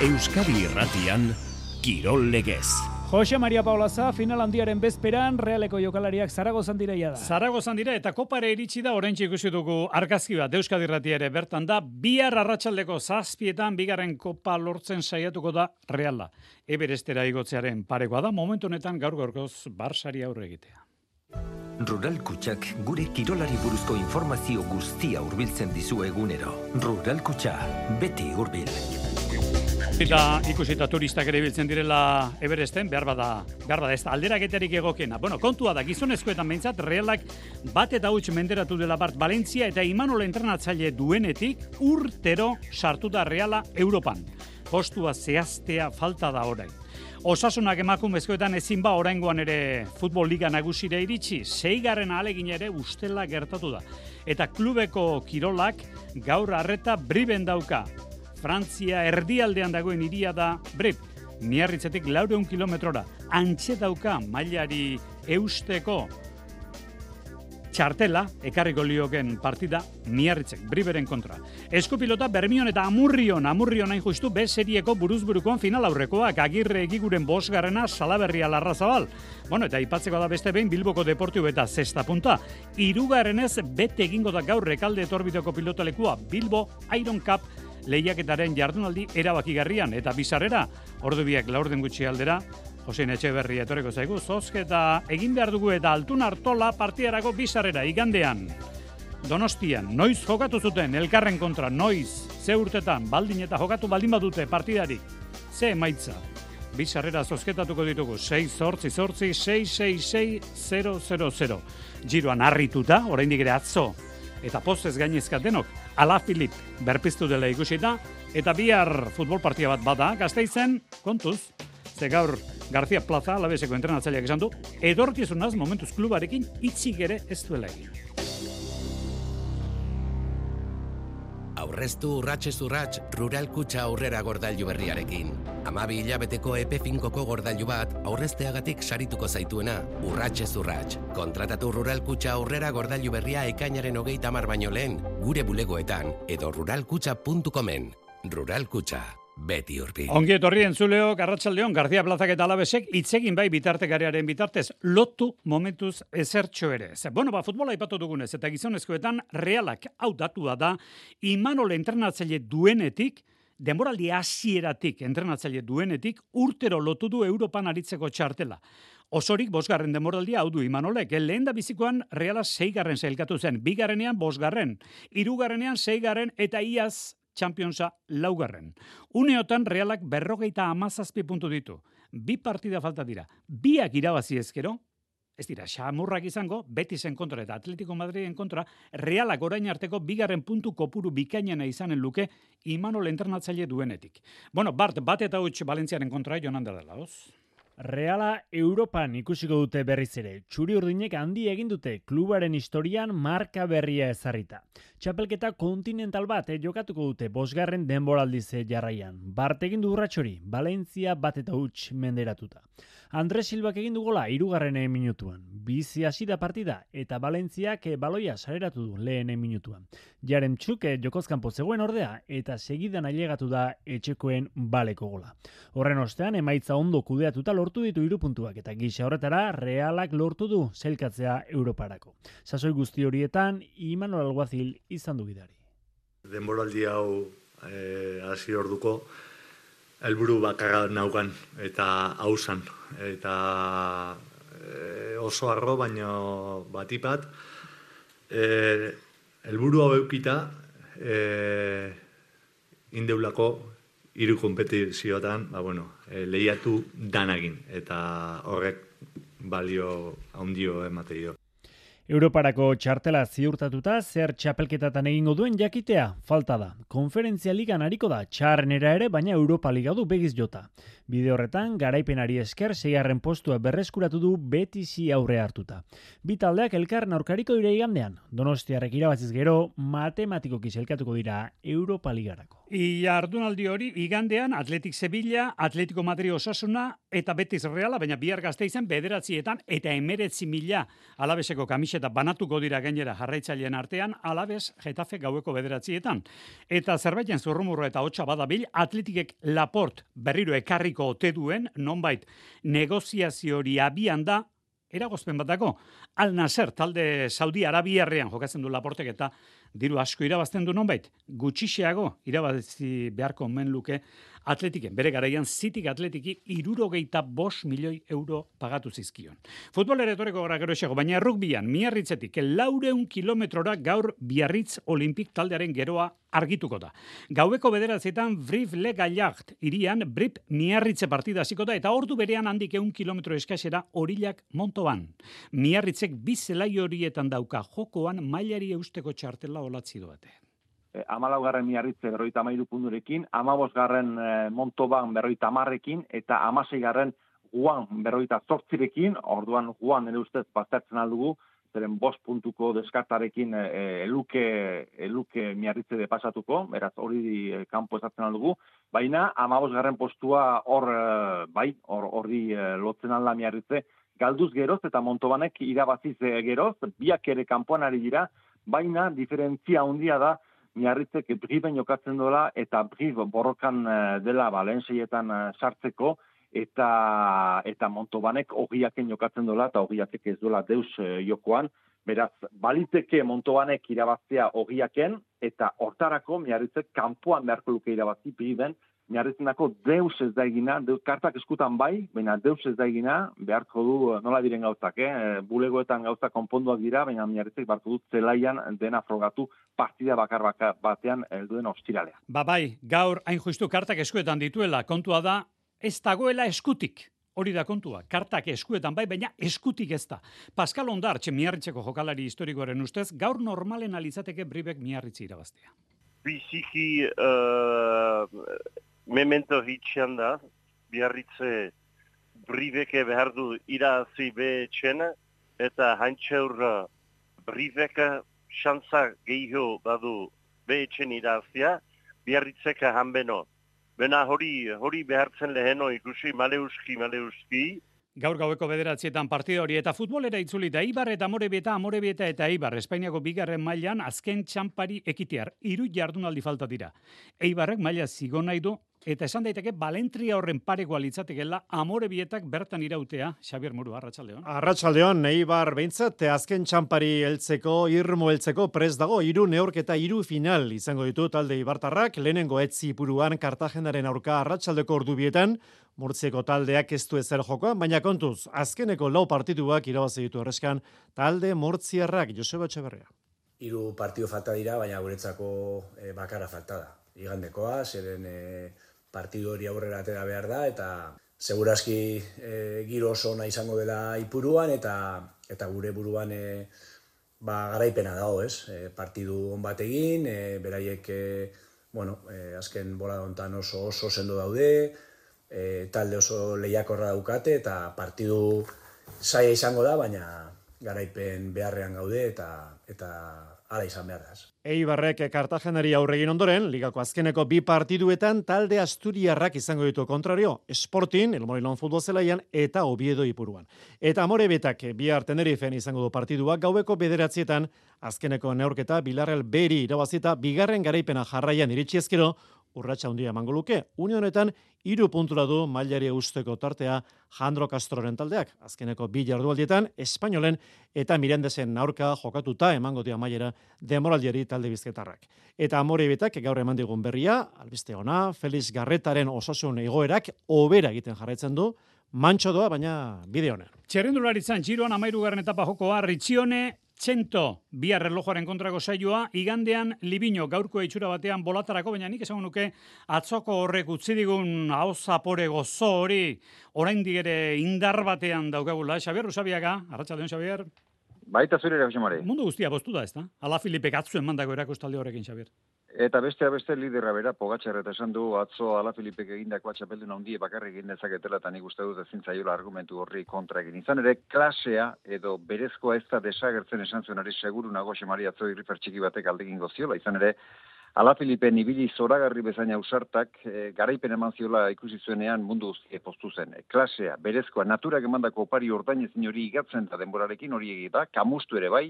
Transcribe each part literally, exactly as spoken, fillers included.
Euskadi Irratian, Kirol Legez. Jose Maria Paulaza, final handiaren bezperan, Realeko jokalariak Zaragozan direia da. Zaragozan dira eta kopare iritsi da, oraintxe ikusi dugu argazki bat, Euskadi Irratia ere bertan da, bihar arratsaldeko zazpietan bigarren kopa lortzen saiatuko da Reala. Everestera igotzearen parekoa da, momentu honetan gaur gaurkoz Barsari aurre egitea. Rural Kutxak gure kirolari buruzko informazio guztia hurbiltzen dizu egunero. Rural Kutxa, beti hurbil. Eta ikusita turistak ere biltzen direla Everesten, behar bada, behar bada ez da alderaketarik egokena. Bueno, kontua da, gizonezkoetan behintzat, Realak bat eta huts menderatu dela Bart Valentzia eta Imanol entrenatzaile duenetik urtero sartu da Reala Europan. Postua zehaztea falta da orain. Osasunak emakumezkoetan ezin ba oraingoan ere futbol liga nagusira iritsi, seigarren ahalegin ere ustela gertatu da. Eta klubeko kirolak gaur arreta Briben dauka. Frantzia erdialdean dagoen hiria da Brib, Miarritzetik laurehun kilometrora. Antxe dauka mailari eusteko txartela, ekarriko lioken partida Miarritzek, Briberen kontra. Eskupilota Bermion eta Amurrion, Amurrion hain justu B serieko buruz-burukoan final aurrekoak, Agirre egiguren bosgarrena Salaberria Larrazabal. Bueno, eta ipatzeko da beste behin Bilboko Deportibo eta Zesta punta. Hirugarrenez bete egingo da gaur Rekalde etorbideko pilotalekua, Bilbo Iron Cup lehiaketaren jardunaldi erabakigarrian eta bizarrera, ordu biak laurden gutxi aldera, Josein Etxeberria etorreko zaigu, zozketa egin behar dugu eta Altun Artola partidarako bizarrera igandean. Donostian, noiz jokatu zuten elkarren kontra, noiz, ze urtetan, baldin eta jokatu baldin badute partidarik, ze emaitza. Bizarrera zozketatuko ditugu, sei zortzi zortzi, sei sei sei, zero zero zero. Giroan harrituta, oraindik ere atzo, eta pozez gainezka denok, Ala Filip berpiztu dela ikusita, eta bihar futbol partia bat bada, Gasteizen, kontuz, ze gaur García Plaza, Alaveseko entrenatzaileak esan du, edorkizunaz momentuz klubarekin itxik ere ez duela egin. Aurreztu urratxez urratx Rural Kutxa aurrera gordailu berriarekin. Hamabi hilabeteko epe finkoko gordailu bat aurrezteagatik sarituko zaituena, urratxez urratx. Kontratatu Rural Kutxa aurrera gordailu berria ekainaren hogeita hamar baino lehen, gure bulegoetan edo ruralkutxa puntu comen. Rural Kutxa, beti urbi. Ongi etorri entzuleok, arratsaldeon, García Plazak eta Alavesek hitzegin bai bitartekarearen bitartez, lotu momentuz ezertxo ere. Ze, bueno, ba, futbola aipatu dugunez, eta gizonezkoetan Realak hau datua da, Imanol entrenatzaile duenetik, denboraldi hasieratik entrenatzaile duenetik, urtero lotu du Europan aritzeko txartela. Osorik bosgarren denboraldia hau du Imanolek, lehen da bizikoan Reala seigarren sailkatu zen, bigarrenean bosgarren, hirugarrenean seigarren eta iaz Championsa laugarren. Uneotan Realak berrogeita hamazazpi puntu ditu. Bi partida falta dira. Biak irabazi ezkero, ez dira, xamurrak izango, Betisen kontra eta Atletico Madriden kontra, Realak orain arteko bigarren puntu kopuru bikainena izanen luke Imanol entrenatzaile duenetik. Bueno, Bart, bat eta huts Valentziaren kontra joan dela, hoz? Reala Europan ikusiko dute berriz ere. Txuri urdinek handi egin dute klubaren historian marka berria ezarrita. Txapelketa kontinental bat eh, jokatuko dute bosgarren denboraldize jarraian. Bart egin du urratxori, Valentzia bat eta huts menderatuta. Andres Silbak egin du gola hirugarren minutuan. Bizi hasi da partida eta Valentziak baloia sareratu du lehen minutuan. Jaremtxuk jokozkanpo zegoen ordea eta segidan ailegatu da etxekoen baleko gola. Horren ostean emaitza ondo kudeatuta lortu ditu hiru puntuak eta gisa horretara Realak lortu du sailkatzea Europarako. Sasoi guzti horietan Imanol Alguazil izan du gidari. Denboraldi hau hasi eh, orduko helburu bakarra naukan eta hausan eta e, oso arro baino batipat helburu e, hau eukita e, indeulako hiru konpetizioetan ba, bueno, e, lehiatu danagin eta horrek balio handio emate dio. Europarako txartela ziurtatuta zer txapelketatan egingo duen jakitea falta da. Konferentzia ligan ariko da txarrenera ere, baina Europa Liga du begiz jota. Bide horretan, garaipenari esker seigarren postua berreskuratu du Betisi aurre hartuta. Bi taldeak elkarren aurkariko dira igandean. Donostiarrek irabaziz gero, matematikoki sailkatuko dira Europa Ligarako. Jardunaldi hori igandean Atletik Sevilla, Atletico Madrid Osasuna eta Betis Reala, baina bihar Gasteizen bederatzietan eta emeretzi mila Alaveseko kamisa eta banatuko dira gainera jarraitzaileen artean, Alabes Getafe gaueko bederatzietan. Eta zerbaiten zurrumurro eta hotxa badabil, Atletikek Laport berriro ekarriko ote duen, nonbait negoziazio hori abian da, eragozpen bat dago. Al Nasser talde Saudi Arabiarrean jokatzen du Laportek eta diru asko irabazten du nonbait. Gutxixeago irabazi beharko omen luke Atletiken. Bere garaian Zitik Atletiki irurogeita bost milioi euro pagatu zizkion. Futbolera etoreko gara gero esego, baina rugbyan Miarritzetik laureun kilometrora gaur Biarritz Olimpik taldearen geroa argituko da. Gaueko bederatzietan Brive-le-Gaillard irian Brip Miarritze partida hasiko da eta ordu berean handik ehun kilometro eskasera Orillak Montoban. Miarritzek bi zelai horietan dauka jokoan mailari eusteko txartela olatzi doate. Amalaugarren Miarritze berroita amairu punturekin, amabosgarren Montoban berroita amarrekin, eta amaseigarren Guan berroita zortzirekin, orduan Guan ere ustez baztertzen aldugu, zeren bost puntuko deskartarekin eluke, eluke Miarritze de pasatuko, beraz hori kanpo esatzen aldugu, baina amabosgarren postua hor, bai, hor horri lotzen alda Miarritze, galduz geroz eta Montobanek irabaziz geroz, biak ere kanpoan ari dira, baina diferentzia handia da, Miarritzek Briben jokatzen dola eta Brib borrokan dela Valentzietan sartzeko eta eta Montobanek ogiaken jokatzen dola eta ogiatek ez dola deus jokoan. Beraz, baliteke Montobanek irabaztea ogiaken eta hortarako Miarritzek kanpoan beharko luke irabazi Briben. Miarritzenako deus ez da egina, deus, kartak eskutan bai, baina deus ez da egina, beharko du nola diren gauzak, eh? Bulegoetan gauzak konponduak dira, baina Miarritzek beharko du zelaian dena frogatu partida bakar bakar batean helduen ostiralea. Ba bai, gaur hain justu kartak eskuetan dituela, kontua da, ez dagoela eskutik. Hori da kontua, kartak eskuetan bai, baina eskutik ez da. Pascal Ondartxe Miarritzeko jokalari historikoaren ustez, gaur normalen alizateke Bribek Miarritzi irabaztea. Biziki uh, memento hitxean da, Biarritze Bribeke behar du irazi behetxena, eta hantxeur Bribeke xantza gehiago badu behetxen irazia, Biarritzeka hanbeno. Bena hori, hori behartzen leheno ikusi, maleuski, maleuski. Gaur gaueko bederatzietan partida hori eta futbolera itzulita Eibar eta Amorebieta, Amorebieta eta Eibar Espainiako bigarren mailan azken txampari ekitear. Hiru jardunaldi falta dira. Eibarrek maila zigo nahi du eta esan daiteke Balentria horren parekoa litzatekeela Amorebietak bertan irautea. Xabier Muru, arratsaldeon. Arratsaldeon, Eibar behintzat azken txampari heltzeko, irmo heltzeko prest dago, hiru neurketa hiru final izango ditu talde Eibartarrak, lehenengo etzi puruan Kartagenaren aurka arratsaldeko ordubietan, Murtzieko taldeak ez du ezer jokoan, baina kontuz, azkeneko lau partituak irabazi ditu erreskan talde Murtziarrak, Joseba Etxeberria. Hiru partidu falta dira, baina guretzako e, bakarra falta da. Igandekoa, zeren e, partidu hori aurrera atera behar da, eta segurazki e, giro oso ona izango dela Ipuruan, eta eta gure buruan e, ba, garaipena dago, ez? E, partidu on bat egin, e, beraiek e, bueno, e, azken bola hontan oso oso sendo daude, E, talde oso lehiakorra daukate eta partidu zaila izango da, baina garaipen beharrean gaude eta eta hala izan behar da. Eibarrek Kartagenari aurregin ondoren, ligako azkeneko bi partiduetan talde asturiarrak izango ditu kontrario, Sporting, El Morilón futbol zelaian eta Oviedo Ipuruan. Eta Amorebetak bihar Tenerifen izango du partidua gaueko bederatzietan azkeneko neurketa Bilarreal Beri irabazita bigarren garaipena jarraian iritsi ezkero, urratsa handia emango luke. Une honetan hiru puntura du mailari eusteko tartea Jandro Castroren taldeak. Azkeneko bi jardualdietan Espainolen eta Mirandesen aurka jokatuta emango dio amaiera demoraldiari talde bizkaitarrak. Eta Amorebitak gaur eman digun berria, albiste ona, Felix Garretaren osasun egoerak hobera egiten jarraitzen du, mantxo doa, baina bide honen. Txerrendularitzan Giroan amairugarren etapa jokoa Ritxione Txento, bihar erlojuaren kontrako saioa, igandean Libino gaurko itxura batean bolatarako, baina nik esan nuke atzoko horrek utzi digun hau zapore gozo hori, oraindik ere indar batean daukagula. Xabier Usabiaga, arratsaldeon Xabier. Baita zure ere, Josemari. Mundu guztia boztu da, ez da? Ala Filipek atzuen mandako erakustaldi horrekin, Xabier. Eta bestea beste liderra bera, Pogačar eta esan du atzo Ala Filipek egindako txapeldun handie bakarrik egin dezaketela, eta nik uste dut ezin zaiola argumentu horri kontra egin. Izan ere, klasea edo berezkoa ez da desagertzen esan zuen ari seguru nago Xemari atzo irrifer txiki batek aldegin goziola. Izan ere, Ala Filipen ibili zoragarri bezain ausartak, e, garaipen eman ziola ikusi zuenean mundu guztie postu zen. E, klasea, berezkoa, naturak emandako opari ordainezin hori igatzen da denborarekin hori egita, kamustu ere bai,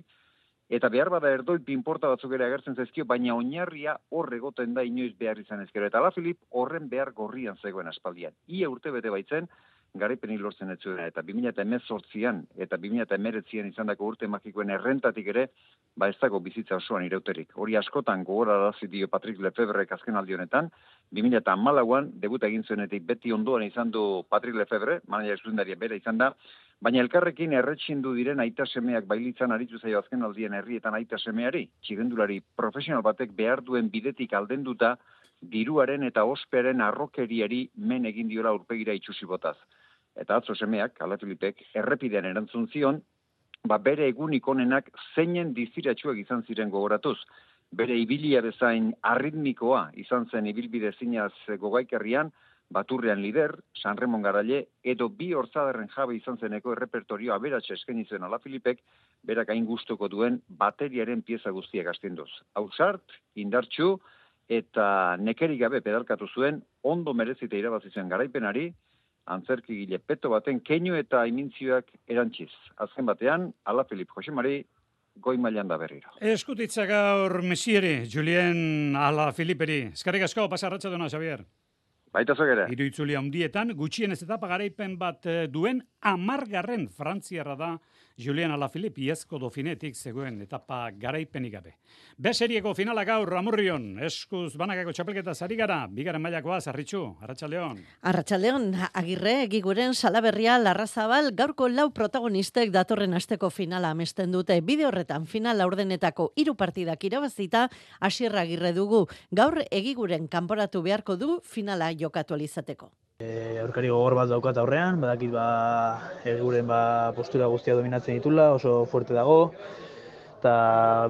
eta behar bada erdoi pinporta batzuk ere agertzen zaizkio, baina oinarria hor egoten da inoiz behar izan ezkero. Eta Ala Filip horren behar gorrian zegoen aspaldian. Ia urte bete baitzen, garaipeni lortzen ez zuena, eta bi mila hemezortzian eta bi mila hemeretzian izandako urte magikoen errentatik ere, ba ez dago bizitza osoan irauterik. Hori askotan gogorarazi dio Patrick Lefebrek azken aldi honetan, bi mila hamalauan debuta egin zuenetik beti ondoan izan du Patrick Lefebre, manager zuzendaria bera izan da, baina elkarrekin erretxindu diren aita semeak bailitzan aritu zaio azken aldien herrietan aita semeari, txirrendulari profesional batek behar duen bidetik aldenduta, diruaren eta ospearen arrokeriari men egin diola aurpegira itxusi botaz. Eta atzo semeak, Ala Filipek, errepidean erantzun zion, ba bere egunik onenak zeinen diziratxuak izan ziren gogoratuz. Bere ibilia bezain arritmikoa izan zen ibilbide zinaz gogaikerrian, Baturrean lider, San Ramon Garaile, edo bi hortzadarren jabe izan zeneko errepertorio aberatxe eskaini zuen Ala Filipek, berak hain gustuko duen bateriaren pieza guztiak astinduz. Ausart, indartsu, eta nekerik gabe pedalkatu zuen, ondo merezita irabazi zen garaipenari, antzerkigile peto baten keinu eta imintzioak erantziz. Azken batean, Ala Filip Josemari goi mailan da berriro. Eskutitza gaur mesieri, Julien Ala Filiperi. Eskarrik asko, pasa arratsaldeon, Xavier. Baita zogera. Hiru itzuli handietan, gutxienez etapa garaipen bat duen hamargarren frantziarra da Julien Alaphilippe iazko Dauphinetik zegoen etapa garaipenik gabe. B serieko finala gaur Amurrion, eskuz banakako txapelketa zari gara, bigaren mailakoa Zarritxu, Arratsaldeon. Arratsaldeon, Agirre, Egiguren, Salaberria, Larrazabal, gaurko lau protagonistek datorren asteko finala amesten dute. Bide horretan final laurdenetako hiru partidak irabazita, Asier Agirre dugu. Gaur Egiguren kanporatu beharko du finala jokatu alizateko. E, aurkari gogor bat daukat aurrean, badakit ba Egiguren ba postura guztia dominatzen ditula, oso fuerte dago, eta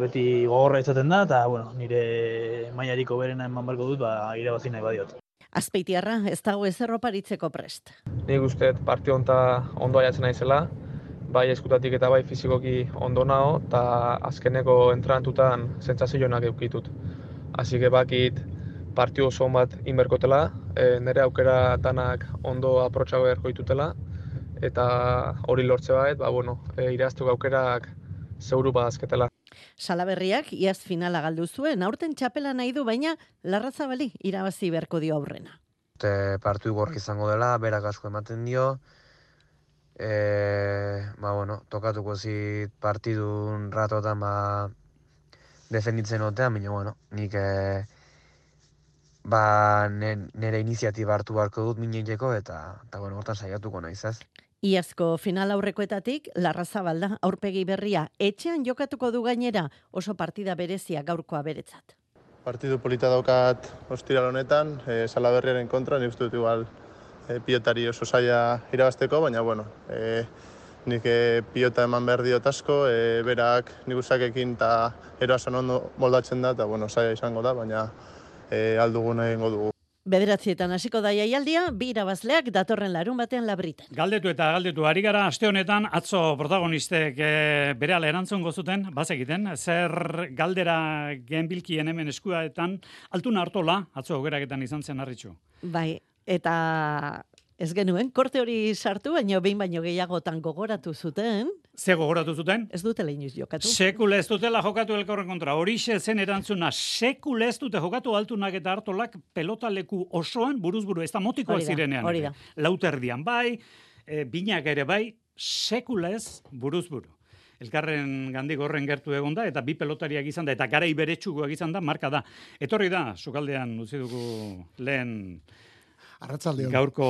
beti gogorra izaten da, eta bueno, nire mailariko berena eman barko dut, ba irabazi nahi badiot. Azpeitiarra, ez dago ezer oparitzeko prest. Nik uste partio honta ondo aiatzen naizela, bai eskutatik eta bai fizikoki ondo nao, eta azkeneko entrenatutan sentsazioak eukitut. Así que bakit partio oso bat inberkotela, e, nire aukera danak ondo aprotxago beharko ditutela, eta hori lortze bat, ba, bueno, e, iraztuko aukerak zeuru badazketela. Salaberriak iaz finala galdu zuen, aurten txapela nahi du, baina Larrazabali irabazi beharko dio aurrena. Te partu gorri izango dela, berak asko ematen dio, e, ba, bueno, tokatuko zit partidun ratotan, ba, defenditzen otean, baina, bueno, nik e, ba, nire iniziatiba hartu beharko dut miniteko, eta, eta bueno, hortan saiatuko naiz, ez? Iazko final aurrekoetatik, Larrazabal da aurpegi berria. Etxean jokatuko du gainera, oso partida berezia gaurkoa beretzat. Partidu polita daukat ostiral honetan, e, Salaberriaren kontra, nik uste dut igual e, pilotari oso zaila irabazteko, baina bueno, e, nik e, pilota eman behar diot asko, e, berak nik usakekin eta eroasan ondo moldatzen da, eta bueno, zaila izango da, baina e, aldugun egingo dugu. Bederatzietan hasiko da jaialdia, bi irabazleak datorren larun batean Labriten. Galdetu eta galdetu, ari gara aste honetan, atzo protagonistek e, berehala erantzun gozuten, bazekiten, zer galdera genbilkien hemen eskuaetan, Altuna Artola, atzo ogeraketan izan zen Harritxu. Bai, eta ez genuen, korte hori sartu, baino behin baino gehiagotan gogoratu zuten. Ze gogoratu zuten? Ez dutela inoiz jokatu. Sekule ez dutela jokatu elkorren kontra. Horixe zen erantzuna, sekule ez dute jokatu Altunak eta Artolak pelotaleku osoan buruzburu, ez da motikoak zirenean. Hori da. Lauterdian bai, e, binak ere bai, sekule ez buruzburu. Elkarren gandik horren gertu egon da, eta bi pelotariak izan da, eta garai beretsukoak izan da, marka da. Etorri da, sukaldean utzi dugu lehen Arratsaldeon. Gaurko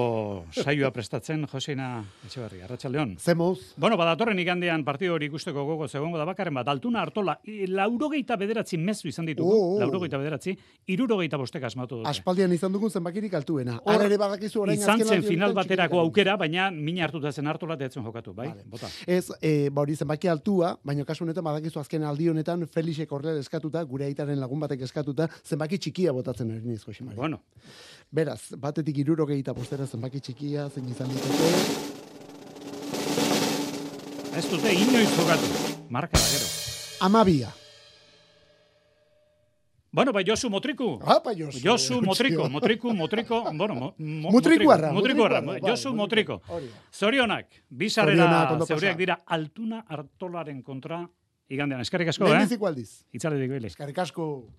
saioa prestatzen, Joseina Etxeberri, Arratsaldeon. Zemoz. Bueno, badatorren igandean partidu hori ikusteko gogo zegongo da bakarren bat, Altuna Artola, laurogeita bederatzi mezu izan ditugu, oh, oh. laurogeita bederatzi, irurogeita bostek asmatu dute. Aspaldian izan dugun zenbakirik altuena. Hor ere badakizu orain izan zen final baterako aukera, baina mina hartuta zen Artola deatzen jokatu, bai? Vale. Bota. Ez, e, ba hori zenbaki altua, baina kasu honetan badakizu azken aldi honetan Felixek horrela eskatuta, gure aitaren lagun batek eskatuta, zenbaki txikia botatzen ari niz, Josemari. Bueno. Beraz, batetik hirurogeita bostera zenbaki txikia, zein izan diteke. Ez dute inoiz jokatu. Marka da gero. Amabia. Bueno, bai, Josu Motriku. Apa, Josu. Josu Motriku, Motriku, Motriko, bueno, mo, mo, Mutrikuarra. Mutrikuarra, Mutrikuarra, Josu bai, Motriko. hori da. Zorionak, bizarrera zeuriak dira Altuna Artolaren kontra igandean. Eskerrik asko, eh? Lehenbiziko aldiz. Itzaletik bile. Eskerrik asko.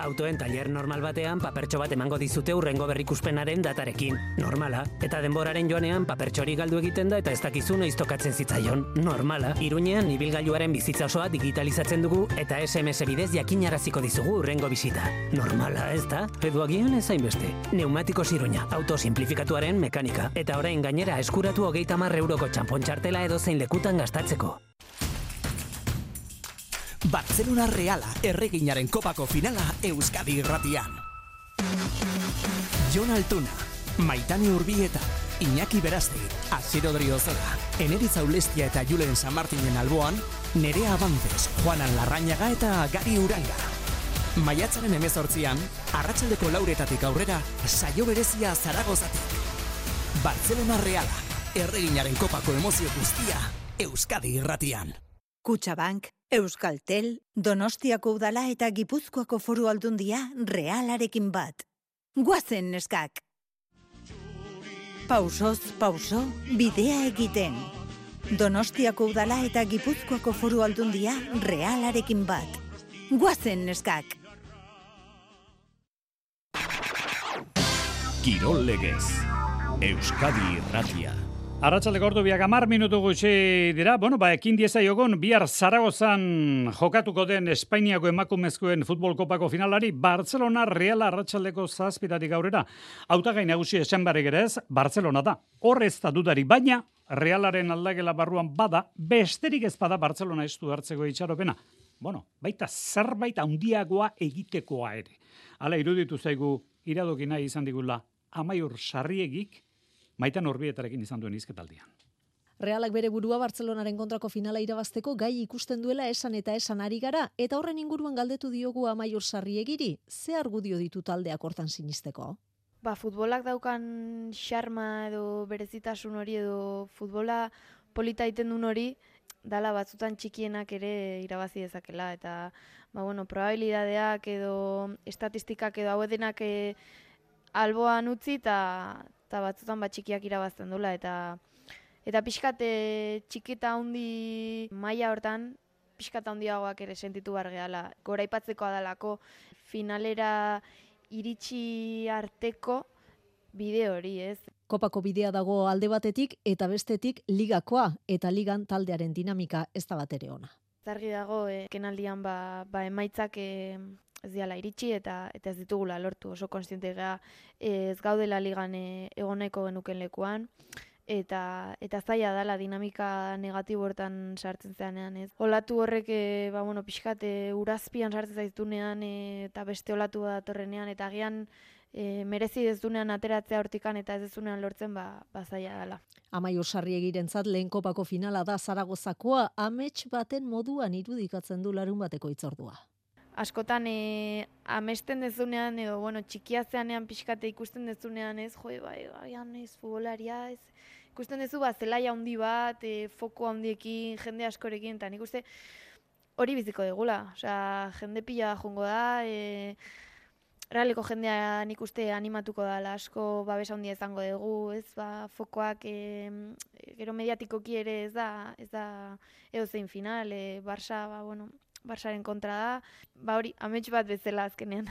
Autoen tailer normal batean papertxo bat emango dizute hurrengo berrikuspenaren datarekin. Normala. Eta denboraren joanean papertxori galdu egiten da eta ez dakizu noiz tokatzen zitzaion. Normala. Iruñean ibilgailuaren bizitza osoa digitalizatzen dugu eta S M S bidez jakinaraziko dizugu hurrengo bisita. Normala, ez da? Edo agian ez hainbeste. Neumatikos Iruña, auto simplifikatuaren mekanika. Eta orain gainera eskuratu hogeita hamar euroko txanpon txartela edo zein lekutan gastatzeko. Barcelona Reala erreginaren kopako finala Euskadi irratian. Jon Altuna, Maitane Urbieta, Iñaki Berazte, Asier Odriozora, Eneritz Aulestia eta Julen San Martinen alboan, Nerea Abantes, Juanan Larrañaga eta Gari Uranga. Maiatzaren hemezortzian, arratsaldeko lauretatik aurrera, saio berezia Zaragozatik. Barcelona Reala, erreginaren kopako emozio guztia, Euskadi irratian. Kutxabank, Euskaltel, Donostiako udala eta Gipuzkoako foru aldundia Realarekin bat. Guazen neskak! Pausoz, pauso, bidea egiten. Donostiako udala eta Gipuzkoako foru aldundia Realarekin bat. Guazen neskak! Kirol legez, Euskadi irratia. Arratsaldeko ordu biak hamar minutu gutxi dira. Bueno, ba, ekin diezaiogun bihar Zaragozan jokatuko den Espainiako emakumezkoen futbol kopako finalari Barcelona Reala arratsaldeko zazpitatik aurrera. Hautagai nagusi esan barrik ere ez, Barcelona da. Hor ez da dudari, baina Realaren aldakela barruan bada, besterik ez bada Barcelona ez du hartzeko itxaropena. Bueno, baita zerbait handiagoa egitekoa ere. Hala iruditu zaigu iradoki nahi izan digula Amaiur Sarriegik, Maitan Urbietarekin izan duen hizketaldian. Realak bere burua Barcelonaren kontrako finala irabazteko gai ikusten duela esan eta esan ari gara, eta horren inguruan galdetu diogu Amaiur Sarriegiri, ze argudio ditu taldeak hortan sinisteko? Ba, futbolak daukan xarma edo berezitasun hori edo futbola polita egiten duen hori, dala batzutan txikienak ere irabazi dezakela, eta ba, bueno, probabilidadeak edo estatistikak edo hauedenak e, alboan utzi eta eta batzutan bat txikiak irabazten dula, eta eta pixkat e, txikita handi maila hortan, pixkat handiagoak ere sentitu behar gehala. Goraipatzeko adalako finalera iritsi arteko bide hori, ez? Kopako bidea dago alde batetik eta bestetik ligakoa, eta ligan taldearen dinamika ez da bat ere ona. Zargi dago, e, kenaldian ba, ba emaitzak e, ez diala iritsi eta eta ez ditugula lortu, oso konstiente gara ez gaudela ligan e, egoneko genuken lekuan, eta eta zaila dela dinamika negatibo hortan sartzen zeanean, ez. Olatu horrek e, ba bueno, pixkat e, urazpian sartzen zaiztunean e, eta beste olatu datorrenean, eta agian e, merezi dezunean ateratzea hortikan eta ez dezunean lortzen ba, ba zaila dela. Amaiur Sarriegirentzat lehen kopako finala da Zaragozakoa, amets baten moduan irudikatzen du larun bateko hitzordua. Askotan e, amesten dezunean edo bueno, txikia zeanean pixkate ikusten dezunean, ez, jo, bai, baian ez futbolaria, ez. Ikusten dezu ba zelaia handi bat, e, foko handiekin, jende askorekin, eta nik uste hori biziko degula. Osea, jende pila jongo da, e, realeko jendea nik uste animatuko da, asko babes handia izango dugu, ez, ba, fokoak e, gero mediatikoki ere ez da, ez da edozein final, e, Barça, ba, bueno, Barsaren kontra da, ba hori, amets bat bezala azkenean.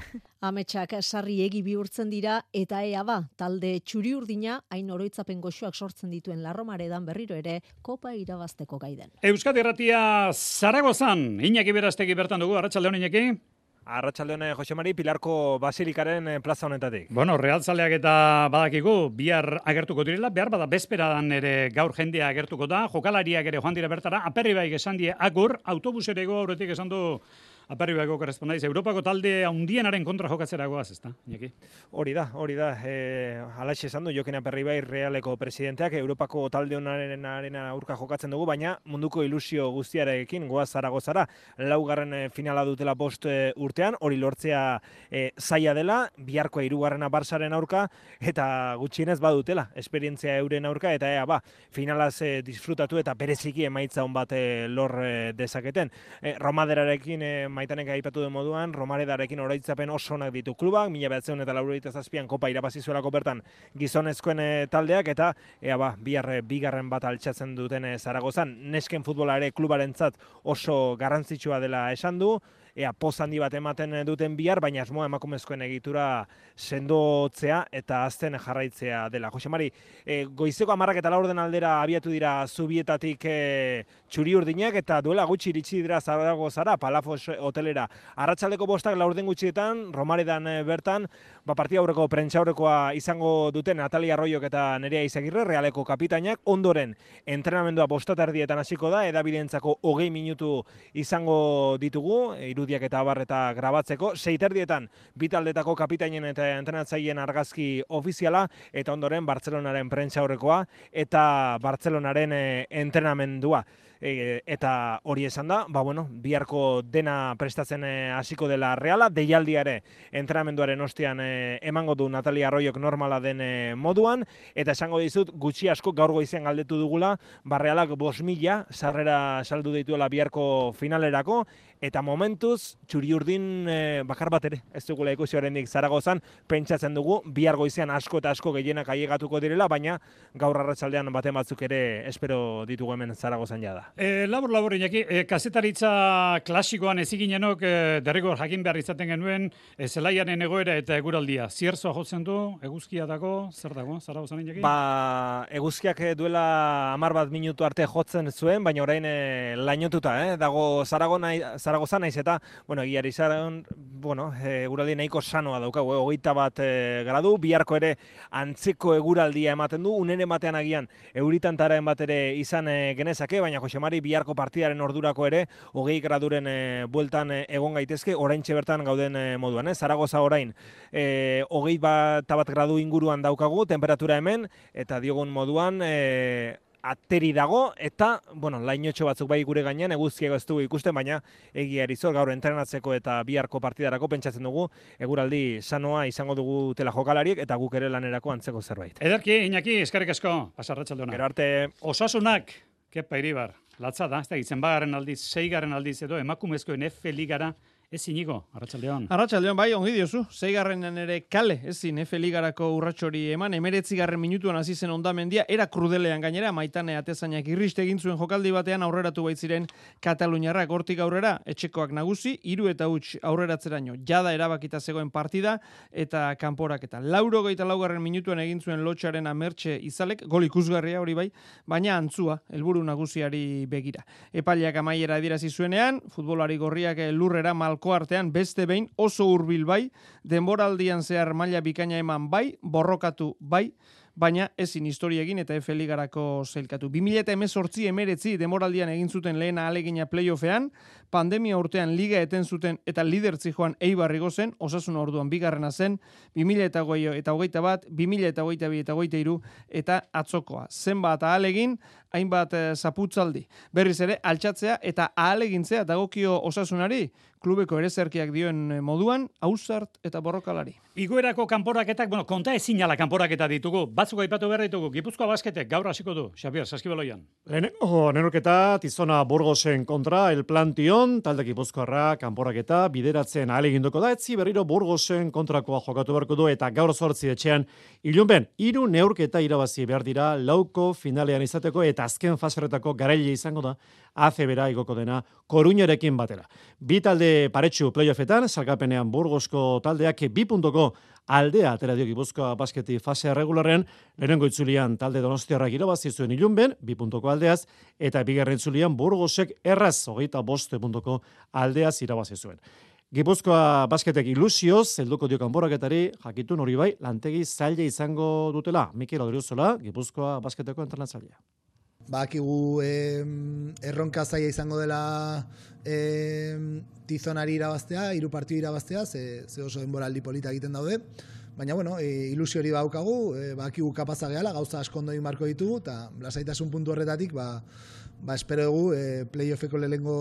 Ametsak Sarriegi bihurtzen dira, eta ea ba, talde txuri urdina, hain oroitzapen goxoak sortzen dituen Larromaredan berriro ere, kopa irabazteko gaiden. Euskadi Irratia Zaragozan, Iñaki Berastegi bertan dugu, arratsalde on Iñaki. Arratsalde on Jose Mari, Pilarko Basilikaren plaza honetatik. Bueno, realzaleak eta badakigu, bihar agertuko direla, behar bada bezperadan ere gaur jendea agertuko da, jokalariak ere joan dira bertara, Aperribaik esan die agur, autobuserego aurretik esan du Aperribaiko korrespondaiz, Europako talde handienaren kontra jokatzera goaz, ezta, Iñaki? Hori da, hori da, e, halaxe esan du, Jokin Aperribai Realeko presidenteak, Europako talde honaren aurka jokatzen dugu, baina munduko ilusio guztiarekin goaz Zaragozara, laugarren finala dutela bost urtean, hori lortzea e, zaila dela, biharkoa hirugarrena Barsaren aurka, eta gutxienez badutela, esperientzia euren aurka, eta ea ba, finalaz e, disfrutatu eta bereziki emaitza hon bat e, lor e, dezaketen. E, Romaderarekin e, Maitanek aipatu den moduan, Romaredarekin oroitzapen oso onak ditu klubak, mila bederatziehun eta laurogeita zazpian kopa irabazi zuelako bertan gizonezkoen taldeak, eta ea ba, bihar bigarren bat altxatzen duten Zaragozan. Nesken futbola ere klubarentzat oso garrantzitsua dela esan du, ea poz handi bat ematen duten bihar, baina asmoa emakumezkoen egitura sendotzea eta azten jarraitzea dela. Jose Mari, e, goizeko hamarrak eta laurden aldera abiatu dira Zubietatik e, txuri urdinak, eta duela gutxi iritsi dira Zaragozara, Palafos hotelera. Arratsaldeko bostak laurden gutxietan, Romaredan e, bertan, ba, partida aurreko prentsaurrekoa izango duten Natalia Arroyok eta Nerea Izagirre, Realeko kapitainak, ondoren entrenamendua bostaterdietan hasiko da, edabidentzako hogei minutu izango ditugu, irudiak eta abar eta grabatzeko, seiterdietan bitaldetako kapitainen eta entrenatzaileen argazki ofiziala, eta ondoren Bartzelonaren prentsaurrekoa eta Bartzelonaren e, entrenamendua. E, eta hori esan da, ba bueno, biharko dena prestatzen hasiko dela Reala, deialdiare entrenamenduaren ostean e, emango du Natalia Arroyok normala den e, moduan, eta esango dizut gutxi asko gaur goizean galdetu dugula, ba Realak bost mila sarrera saldu dituela biharko finalerako, eta momentuz txuri urdin e, bakar bat ere ez dugula ikusi oraindik Zaragozan, pentsatzen dugu bihar goizean asko eta asko gehienak ailegatuko direla, baina gaur arratsaldean baten batzuk ere espero ditugu hemen Zaragozan jada. E, labur labur inaki, e, kazetaritza klasikoan eziginenok e, derrigor jakin behar izaten genuen e, zelaiaren egoera eta eguraldia. Zierzoa jotzen du, eguzkia dago, zer dago, Zaragozan inaki? Ba, eguzkiak duela hamar bat minutu arte jotzen zuen, baina orain e, lainotuta, eh? dago Zaragona, Zaragozan naiz eta, bueno, egiari zaren, bueno, eguraldi nahiko sanoa daukagu, hogeita bat e, gradu, biharko ere antzeko eguraldia ematen du, unen ematean agian euritantaren bat ere izan e, genezake, baina Jose Mari biharko partidaren ordurako ere hogei graduren e, bueltan e, egon gaitezke, oraintxe bertan gauden e, moduan, eh? Zaragoza orain e, hogei bat, bat gradu inguruan daukagu, temperatura hemen, eta diogun moduan e, ateri dago, eta, bueno, lainotxo batzuk bai gure gainean, eguzkiago ez dugu ikusten, baina egia erizor, gaur entrenatzeko eta biharko partidarako pentsatzen dugu, eguraldi sanoa izango dugu tela jokalariek, eta guk ere lanerako antzeko zerbait. Ederki, Iñaki, eskerrik asko, pasarratxalde hona. Gero arte. Osasunak, kepa Iribar, latza da, ez da, izenbagarren aldiz, seigarren aldiz edo, emakumezkoen F Ligara, ez inigo, arratsaldeon. Arratsaldeon, bai, ongi diozu. Seigarrenan ere kale, ezin F Ligarako urratsori eman, emeretzigarren minutuan hasi zen Hondamendia, era krudelean gainera, Maitane Atezainak irriste egin zuen jokaldi batean aurreratu baitziren Kataluniarrak hortik aurrera, etxekoak nagusi, hiru eta huts aurreratzeraino. Jada erabakita zegoen partida eta kanporaketa. Laurogeita laugarren minutuan egin zuen Lotxaren Amertxe Izalek, gol ikusgarria hori bai, baina antzua, helburu nagusiari begira. Epaileak amaiera adierazi zuenean, futbolari gorriak lurrera mal artean beste behin oso hurbil bai, denboraldian zehar maila bikaina eman bai, borrokatu bai, baina ezin historia egin eta F Ligarako zailkatu. bi mila hemezortzi emeretzi demoraldian egin zuten lehena ahalegina playoffean, pandemia urtean liga eten zuten eta lidertzi joan Eibar igo zen, Osasuna orduan bigarrena zen, bi mila hogeita bat, bi mila hogeita bi eta hogeita hiru eta atzokoa. Zenbat ahalegin, hainbat zaputzaldi. Berriz ere, altxatzea eta ahalegintzea dagokio Osasunari, klubeko erezerkiak dioen moduan, ausart eta borrokalari. Igoerako kanporaketak, bueno, konta ezinala kanporaketa ditugu, batzuk aipatu behar ditugu, Gipuzkoa Basketek gaur hasiko du, Xabier, Saskibaloian. Lehenengo neurketa, Tizona Burgosen kontra, El Plantion, talde Gipuzkoarra kanporaketa, bideratzen ahaleginduko da, etzi berriro Burgosen kontrakoa jokatu beharko du, eta gaur zortzi etxean, ilunben, hiru neurketa irabazi behar dira, lauko finalean izateko, eta azken faseretako garaile izango da, A C B-ra igoko dena Koruñarekin batera. Bi talde paretsu playoffetan, salgapenean Burgosko taldeak bi puntoko aldea atera dio Gipuzkoa Basketi fasea regularrean, lehenengo itzulian talde Donostiarrak irabazi zuen ilunben, bi puntoko aldeaz, eta bigarren itzulian Burgosek erraz, hogeita bost puntoko aldeaz irabazi zuen. Gipuzkoa Basketek ilusioz, helduko dio kanporaketari, jakitun hori bai, lantegi zaila izango dutela. Mikel Odriozola, Gipuzkoa Basketeko entrenatzailea. Bakigu eh, erronka zaila izango dela eh, Tizonari irabaztea, hiru partidu irabaztea, ze, ze oso denboraldi polita egiten daude. Baina, bueno, e, ilusio hori baukagu, e, bakigu kapaza gehala, gauza asko ondo egin marko ditu, eta lasaitasun puntu horretatik, ba, ba espero dugu, e, playoffeko lehengo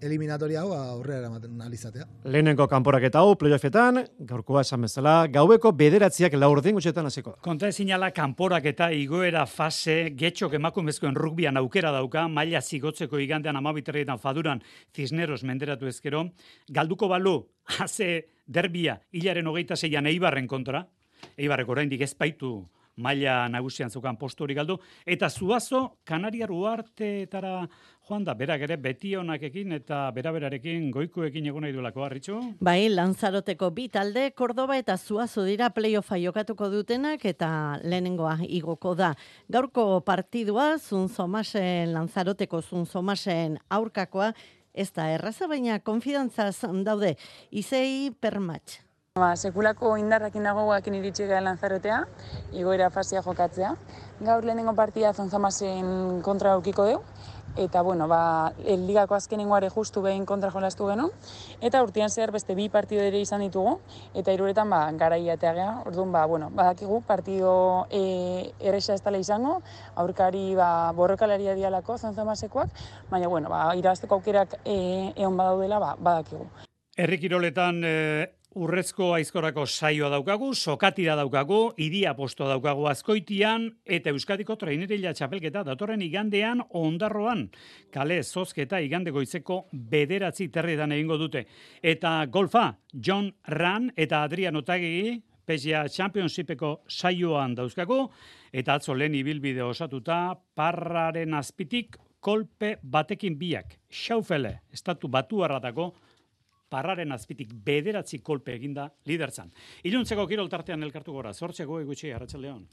eliminatoria hau aurrera eramaten alizatea. Lehenengo kanporaketa hau playoffetan, gaurkoa esan bezala, gaueko bederatziak laurden gutxetan hasiko da. Konta ezinala kanporaketa igoera fase getxok emakumezkoen rugbian aukera dauka, maila zigotzeko igandean amabiterrietan faduran Cisneros menderatu ezkero, galduko balu, haze derbia, hilaren hogeita zeian Eibarren kontra, Eibarrek oraindik ez baitu maila nagusian zukan postu hori galdu, eta Zuazo Kanariar uarteetara joan da, berak ere beti onakekin eta beraberarekin goikuekin egon nahi duelako, Arritxu? Bai, Lanzaroteko bi talde, Kordoba eta Zuazo dira playoffa jokatuko dutenak eta lehenengoa igoko da. Gaurko partidua, Zunzomasen, Lanzaroteko Zunzomasen aurkakoa, ez da erraza, baina konfidantzaz daude. Izei permatx. Ba, sekulako indarrakin dagoakin iritsi gara Lanzarotea, igoera fasia jokatzea. Gaur lehenengo partida Zonzamasen kontra aurkiko dugu, eta bueno, ba, ligako azkenengoare justu behin kontra jolastu geno, eta urtean zehar beste bi partido ere izan ditugu, eta hiruretan ba, garaiatea gea, orduan, ba, bueno, badakigu partido e, erresa ez dela izango, aurkari ba, borrokalaria dialako Zonzamasekoak, baina bueno, ba, irabazteko aukerak e, egon badaudela, ba, badakigu. Herri kiroletan e, urrezko aizkorako saioa daukagu, sokatira daukagu, iria posto daukagu Azkoitian, eta Euskadiko trainerila txapelketa datorren igandean Ondarroan. Kale zozketa igande goizeko bederatzi terrietan egingo dute. Eta golfa, John Ran eta Adrian Otagi, P G A Championshipeko saioan dauzkagu, eta atzo lehen ibilbide osatuta, parraren azpitik kolpe batekin biak. Xaufele, estatu batuarratako, parraren azpitik bederatzi kolpe eginda liderzan. Iluntzeko kirol tartean elkartu gora, zortzeko egutxe, Arratsaldeon.